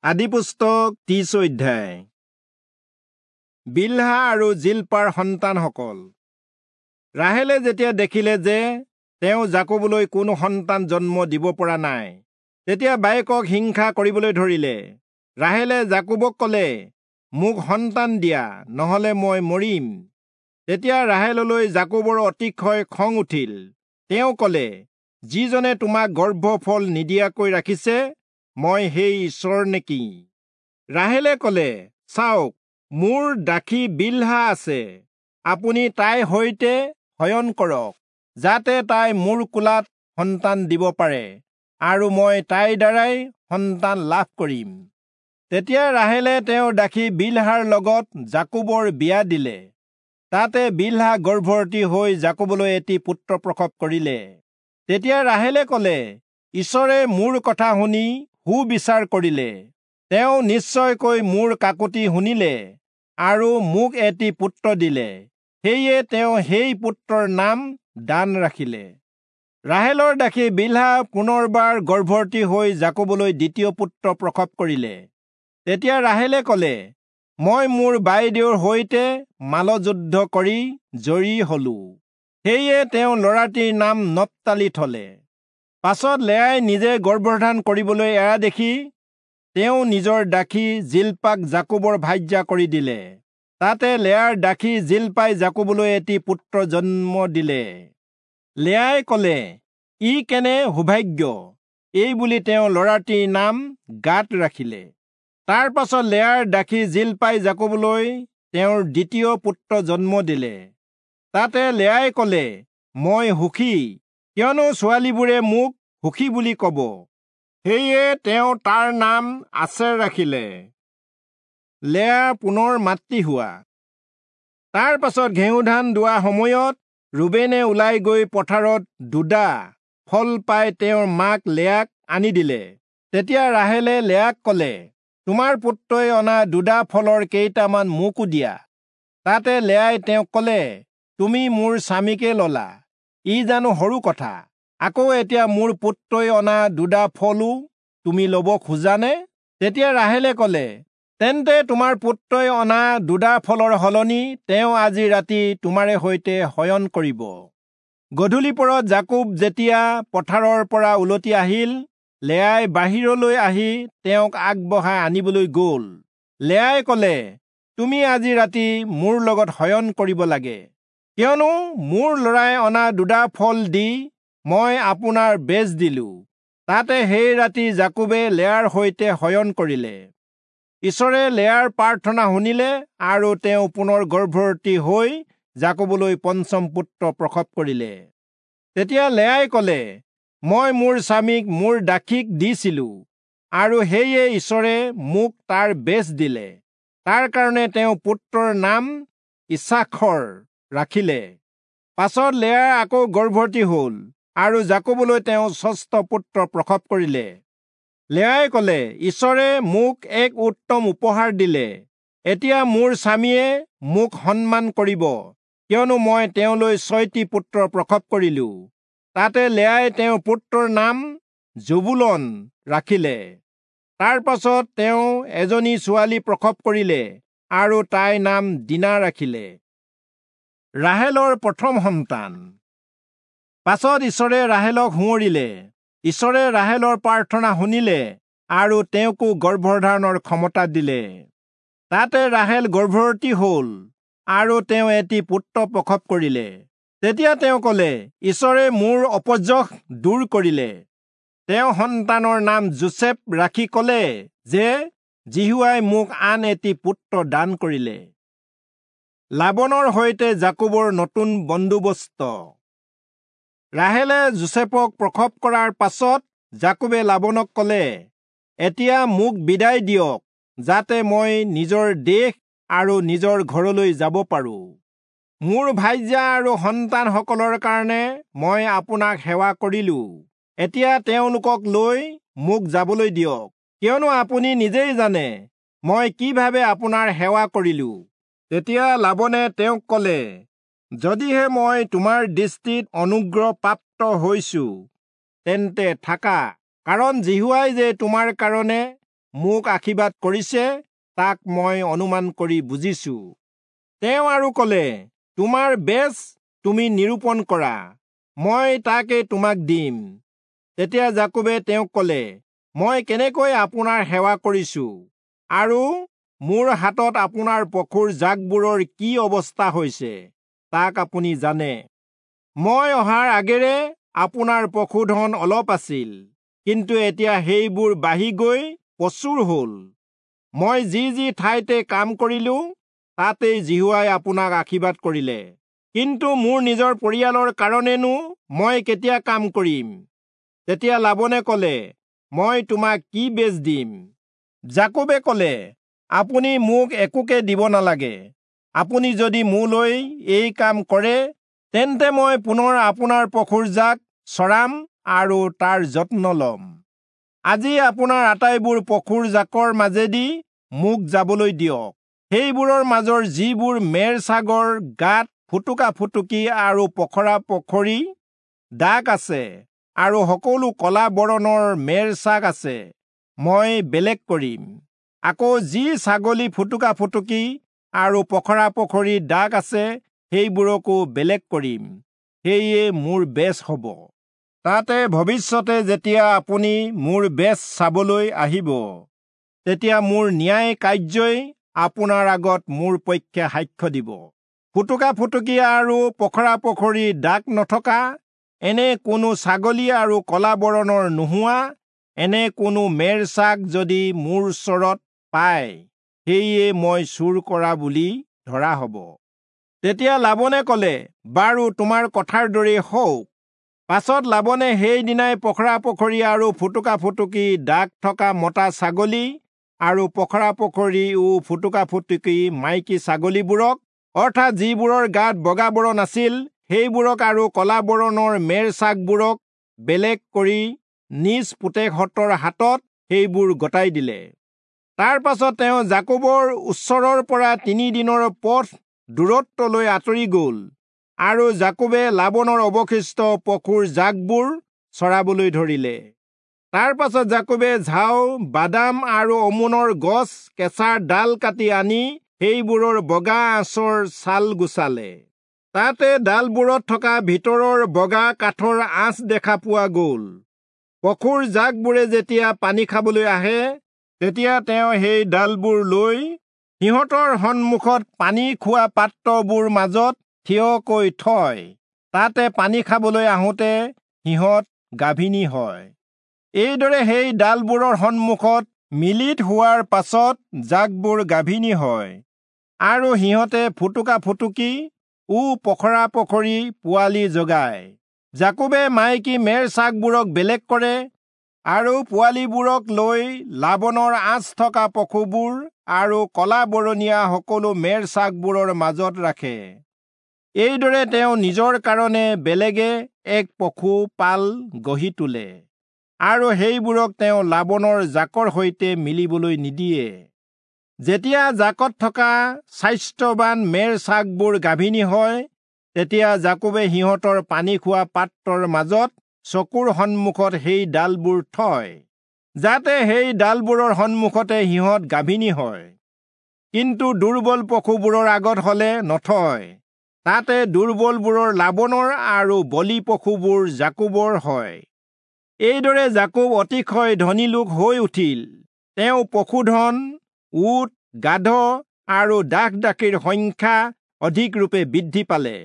আদিপুস্তক 30 অধ্যায়। বিলহা আৰু জিলপাৰ সন্তানসকল। ৰাহেলে যেতিয়া দেখিলে যে তেওঁ যাকোবলৈ কোনো সন্তান জন্ম দিব পৰা নাই, তেতিয়া বায়েকক হিংসা কৰিবলৈ ধৰিলে। ৰাহেলে যাকোবক ক'লে, মোক সন্তান দিয়া, নহলে মই মৰিম। তেতিয়া ৰাহেললৈ যাকোবৰ অতিশয় খং উঠিল। তেওঁ ক'লে, যিজনে তোমাক গৰ্ভফল নিদিয়াকৈ ৰাখিছে, মই সেই ঈশ্বৰ নেকি? ৰাহেলে ক'লে, চাওক, মোৰ দাসী বিলহা আছে, আপুনি তাইৰ সৈতে শয়ন কৰক, যাতে তাই মোৰ কোলাত সন্তান দিব পাৰে, আৰু মই তাইৰ দ্বাৰাই সন্তান লাভ কৰিম। তেতিয়া ৰাহেলে তেওঁৰ দাসী বিলহাৰ লগত যাকোবৰ বিয়া দিলে। তাতে বিলহা গৰ্ভৱতী হৈ যাকোবলৈ এটি পুত্ৰ প্ৰসৱ কৰিলে। তেতিয়া ৰাহেলে ক'লে, ঈশ্বৰে মোৰ কথা শুনি সুবিচাৰ কৰিলে, তেওঁ নিশ্চয়কৈ মোৰ কাকুতি শুনিলে আৰু মোক এটি পুত্ৰ দিলে। সেয়ে তেওঁ সেই পুত্ৰৰ নাম দান ৰাখিলে। ৰাহেলৰ দাসী বিলহা পুনৰবাৰ গৰ্ভৱতী হৈ যাকোবলৈ দ্বিতীয় পুত্ৰ প্ৰসৱ কৰিলে। তেতিয়া ৰাহেলে ক'লে, মই মোৰ বাইদেউৰ সৈতে মালযুদ্ধ কৰি জয়ী হলো। সেয়ে তেওঁ ল'ৰাটিৰ নাম নপ্তালি থলে। পাছত লেয়াই নিজে গৰ্ভধাৰণ কৰিবলৈ এৰা দেখি তেওঁ নিজৰ দাসী জিলপাক যাকোবৰ ভাৰ্যা কৰি দিলে। তাতে লেয়াৰ দাসী জিলপাই যাকোবলৈ এটি পুত্ৰ জন্ম দিলে। লেয়াই ক'লে, ই কেনে সৌভাগ্য! এই বুলি তেওঁ ল'ৰাটিৰ নাম গাদ ৰাখিলে। তাৰ পাছত লেয়াৰ দাসী জিলপাই যাকোবলৈ তেওঁৰ দ্বিতীয় পুত্ৰ জন্ম দিলে। তাতে লেয়াই ক'লে, মই সুখী, কিয়নো ছোৱালীবোৰে মোক সুখী বুলি ক'ব। সেয়ে তেওঁ তাৰ নাম আচেৰ ৰাখিলে। লেয়া পুনৰ মাতৃ হোৱা। তাৰ পাছত ঘেঁহুধান দোৱা সময়ত ৰুবেনে ওলাই গৈ পথাৰত দুডা ফল পাই তেওঁৰ মাক লেয়াক আনি দিলে। তেতিয়া ৰাহেলে লেয়াক ক'লে, তোমাৰ পুত্ৰই অনা দুডা ফলৰ কেইটামান মোকো দিয়া। তাতে লেয়াই তেওঁক ক'লে, তুমি মোৰ স্বামীকে ললা, ই জানো সৰু কথা? আকৌ এতিয়া মোৰ পুত্ৰই অনা দুডা ফলো তুমি ল'ব খোজানে? তেতিয়া ৰাহেলে ক'লে, তেন্তে তোমাৰ পুত্ৰই অনা দুডা ফলৰ সলনি তেওঁ আজি ৰাতি তোমাৰে সৈতে শয়ন কৰিব। গধূলি পৰত যাকোব যেতিয়া পথাৰৰ পৰা উলটি আহিল, লেয়াই বাহিৰলৈ আহি তেওঁক আগবঢ়াই আনিবলৈ গ'ল। লেয়াই ক'লে, তুমি আজি ৰাতি মোৰ লগত শয়ন কৰিব লাগে, কিয়নো মোৰ ল'ৰাই অনা দুডা ফল দি মই আপোনাৰ বেচ দিলো। তাতে সেই ৰাতি যাকোবে লেয়াৰ সৈতে শয়ন কৰিলে। ঈশ্বৰে লেয়াৰ প্ৰাৰ্থনা শুনিলে আৰু তেওঁ পুনৰ গৰ্ভৱতী হৈ যাকোবলৈ পঞ্চম পুত্ৰ প্ৰসৱ কৰিলে। তেতিয়া লেয়াই ক'লে, মই মোৰ স্বামীক মোৰ দাসীক দিছিলো, আৰু সেয়ে ঈশ্বৰে মোক তাৰ বেচ দিলে। তাৰ কাৰণে তেওঁ পুত্ৰৰ নাম ইচাখৰ ৰাখিলে। পাছত লেয়া আকৌ গৰ্ভৱতী হ'ল আৰু যাকোবলৈ তেওঁ ষষ্ঠ পুত্ৰ প্ৰসৱ কৰিলে। লেয়াই ক'লে, ঈশ্বৰে মোক এক উত্তম উপহাৰ দিলে, এতিয়া মোৰ স্বামীয়ে মোক সন্মান কৰিব, কিয়নো মই তেওঁলৈ 6টি পুত্ৰ প্ৰসৱ কৰিলো। তাতে লেয়াই তেওঁৰ পুত্ৰৰ নাম জবুলন ৰাখিলে। তাৰ পাছত তেওঁ এজনী ছোৱালী প্ৰসৱ কৰিলে আৰু তাইৰ নাম দীনা ৰাখিলে। ৰাহেলৰ প্ৰথম সন্তান। পাছত ঈশ্বৰে ৰাহেলক সোঁৱৰিলে। ঈশ্বৰে ৰাহেলৰ প্ৰাৰ্থনা শুনিলে আৰু তেওঁকো গৰ্ভধাৰণৰ ক্ষমতা দিলে। তাতে ৰাহেল গৰ্ভৱতী হ'ল আৰু তেওঁ এটি পুত্ৰ প্ৰসৱ কৰিলে। তেতিয়া তেওঁ ক'লে, ঈশ্বৰে মোৰ অপযশ দূৰ কৰিলে। তেওঁ সন্তানৰ নাম যোচেফ ৰাখি ক'লে যে, যিহোৱাই মোক আন এটি পুত্ৰ দান কৰিলে। লাবনৰ সৈতে যাকোবৰ নতুন বন্দোবস্ত। ৰাহেলে যোচেফক প্ৰসৱ কৰাৰ পাছত যাকোবে লাবনক ক'লে, এতিয়া মোক বিদায় দিয়ক, যাতে মই নিজৰ দেশ আৰু নিজৰ ঘৰলৈ যাব পাৰো। মোৰ ভাৰ্যা আৰু সন্তানসকলৰ কাৰণে মই আপোনাক সেৱা কৰিলো। এতিয়া তেওঁলোকক লৈ মোক যাবলৈ দিয়ক, কিয়নো আপুনি নিজেই জানে মই কিভাৱে আপোনাৰ সেৱা কৰিলো। তেতিয়া লাবনে তেওঁক ক'লে, যদিহে মই তোমাৰ দৃষ্টিত অনুগ্ৰহ প্ৰাপ্ত হৈছো, তেন্তে থাকা, কাৰণ যিহোৱাই যে তোমাৰ কাৰণে মোক আশীৰ্বাদ কৰিছে তাক মই অনুমান কৰি বুজিছো। তেওঁ আৰু কলে, তোমাৰ বেচ তুমি নিৰূপণ কৰা, মই তাকে তোমাক দিম। তেতিয়া যাকোবে তেওঁক কলে, মই কেনেকৈ আপোনাৰ সেৱা কৰিছো আৰু মোৰ হাতত আপোনাৰ পশুৰ জাকবোৰৰ কি অৱস্থা হৈছে তাক আপুনি জানে। মই অহাৰ আগেৰে আপোনাৰ পশুধন অলপ আছিল, কিন্তু এতিয়া সেইবোৰ বাঢ়ি গৈ প্ৰচুৰ হল। মই যি যি ঠাইতে কাম কৰিলো তাতেই যিহোৱাই আপোনাক আশীৰ্বাদ কৰিলে। কিন্তু মোৰ নিজৰ পৰিয়ালৰ কাৰণেনো মই কেতিয়া কাম কৰিম? তেতিয়া লাবনে কলে, মই তোমাক কি বেচ দিম? যাকোবে কলে, আপুনি মোক একোকে দিব নালাগে। আপুনি যদি মোলৈ এই কাম কৰে, তেন্তে মই পুনৰ আপোনাৰ পশুৰ জাক চৰাম আৰু তাৰ যত্ন লম। আজি আপোনাৰ আটাইবোৰ পশুৰ জাকৰ মাজেদি মোক যাবলৈ দিয়ক। সেইবোৰৰ মাজৰ যিবোৰ মেৰ ছাগৰ গাত ফুটুকা ফুটুকি আৰু পখৰা পখৰি দাগ আছে আৰু সকলো কলা বৰণৰ মেৰ ছাগ আছে, মই বেলেগ কৰিম। আকৌ যি ছাগলী ফুটুকা ফুটুকি আৰু পখৰা পখৰি দাগ আছে সেইবোৰকো বেলেগ কৰিম। সেয়ে মোৰ বেচ হ'ব। তাতে ভৱিষ্যতে যেতিয়া আপুনি মোৰ বেচ চাবলৈ আহিব, তেতিয়া মোৰ ন্যায় কাৰ্যই আপোনাৰ আগত মোৰ পক্ষে সাক্ষ্য দিব। ফুটুকা ফুটুকি আৰু পখৰা পখৰি দাগ নথকা এনে কোনো ছাগলী আৰু কলা বৰণৰ নোহোৱা এনে কোনো মেৰ ছাগ যদি মোৰ ওচৰত পায়, সেয়ে মই চুৰ কৰা বুলি ধৰা হ'ব। তেতিয়া লাবনে কলে, বাৰু তোমাৰ কথাৰ দৰেই হওক। পাছত লাবনে সেইদিনাই পখৰা পখৰি আৰু ফুটুকা ফুটুকি দাগ থকা মতা ছাগলী আৰু পখৰা পখৰি ও ফুটুকা ফুটুকি মাইকী ছাগলীবোৰক, অৰ্থাৎ যিবোৰৰ গাত বগা বৰণ আছিল সেইবোৰক আৰু কলা বৰণৰ মেৰ ছাগবোৰক বেলেগ কৰি নিজ পুতেকহঁতৰ হাতত সেইবোৰ গতাই দিলে। তাৰ পাছত তেওঁ যাকোবৰ ওচৰৰ পৰা 3 দিনৰ পথ দূৰত্বলৈ আঁতৰি গ'ল আৰু যাকোবে লাবনৰ অৱশিষ্ট পশুৰ জাকবোৰ চৰাবলৈ ধৰিলে। তাৰ পাছত যাকোবে ঝাও, বাদাম আৰু অমোনৰ গছ কেঁচা ডাল কাটি আনি সেইবোৰৰ বগা আঁচৰ ছাল গুচালে। তাতে ডালবোৰত থকা ভিতৰৰ বগা কাঠৰ আঁচ দেখা পোৱা গ'ল। পশুৰ জাকবোৰে যেতিয়া পানী খাবলৈ আহে, তেতিয়া তেওঁ সেই ডালবোৰ লৈ সিহঁতৰ সন্মুখত পানী খোৱা পাত্ৰবোৰ মাজত থিয়কৈ থয়। তাতে পানী খাবলৈ আহোঁতে সিহঁত গাভিনী হয়। এইদৰে সেই ডালবোৰৰ সন্মুখত মিলিত হোৱাৰ পাছত জাকবোৰ গাভিনী হয় আৰু সিহঁতে ফুটুকা ফুটুকি ও পখৰা পখৰি পোৱালি জগায়। যাকোবে মাইকী মেৰ ছাগবোৰক বেলেগ কৰে আৰু পোৱালিবোৰক লৈ লাবনৰ আঁচ থকা পশুবোৰ আৰু কলা বৰণীয়া সকলো মেৰ ছাগবোৰৰ মাজত ৰাখে। এইদৰে তেওঁ নিজৰ কাৰণে বেলেগে এক পশু পাল গঢ়ি তোলে আৰু সেইবোৰক তেওঁ লাবনৰ জাকৰ সৈতে মিলিবলৈ নিদিয়ে। যেতিয়া জাকত থকা স্বাস্থ্যৱান মেৰ ছাগবোৰ গাভিনী হয়, তেতিয়া যাকোবে সিহঁতৰ পানী খোৱা পাত্ৰৰ মাজত চকুৰ সন্মুখত সেই ডালবোৰ থয়, যাতে সেই ডালবোৰৰ সন্মুখতে সিহঁত গাভিনী হয়। কিন্তু দুৰ্বল পশুবোৰৰ আগত হলে নথয়। তাতে দুৰ্বলবোৰৰ লাবনৰ আৰু বলি পশুবোৰ যাকোবৰ হয়। এইদৰে যাকোব অতিশয় ধনী লোক হৈ উঠিল। তেওঁ পশুধন, উট, গাধ আৰু দাস দাসীৰ সংখ্যা অধিকৰূপে বৃদ্ধি পালে।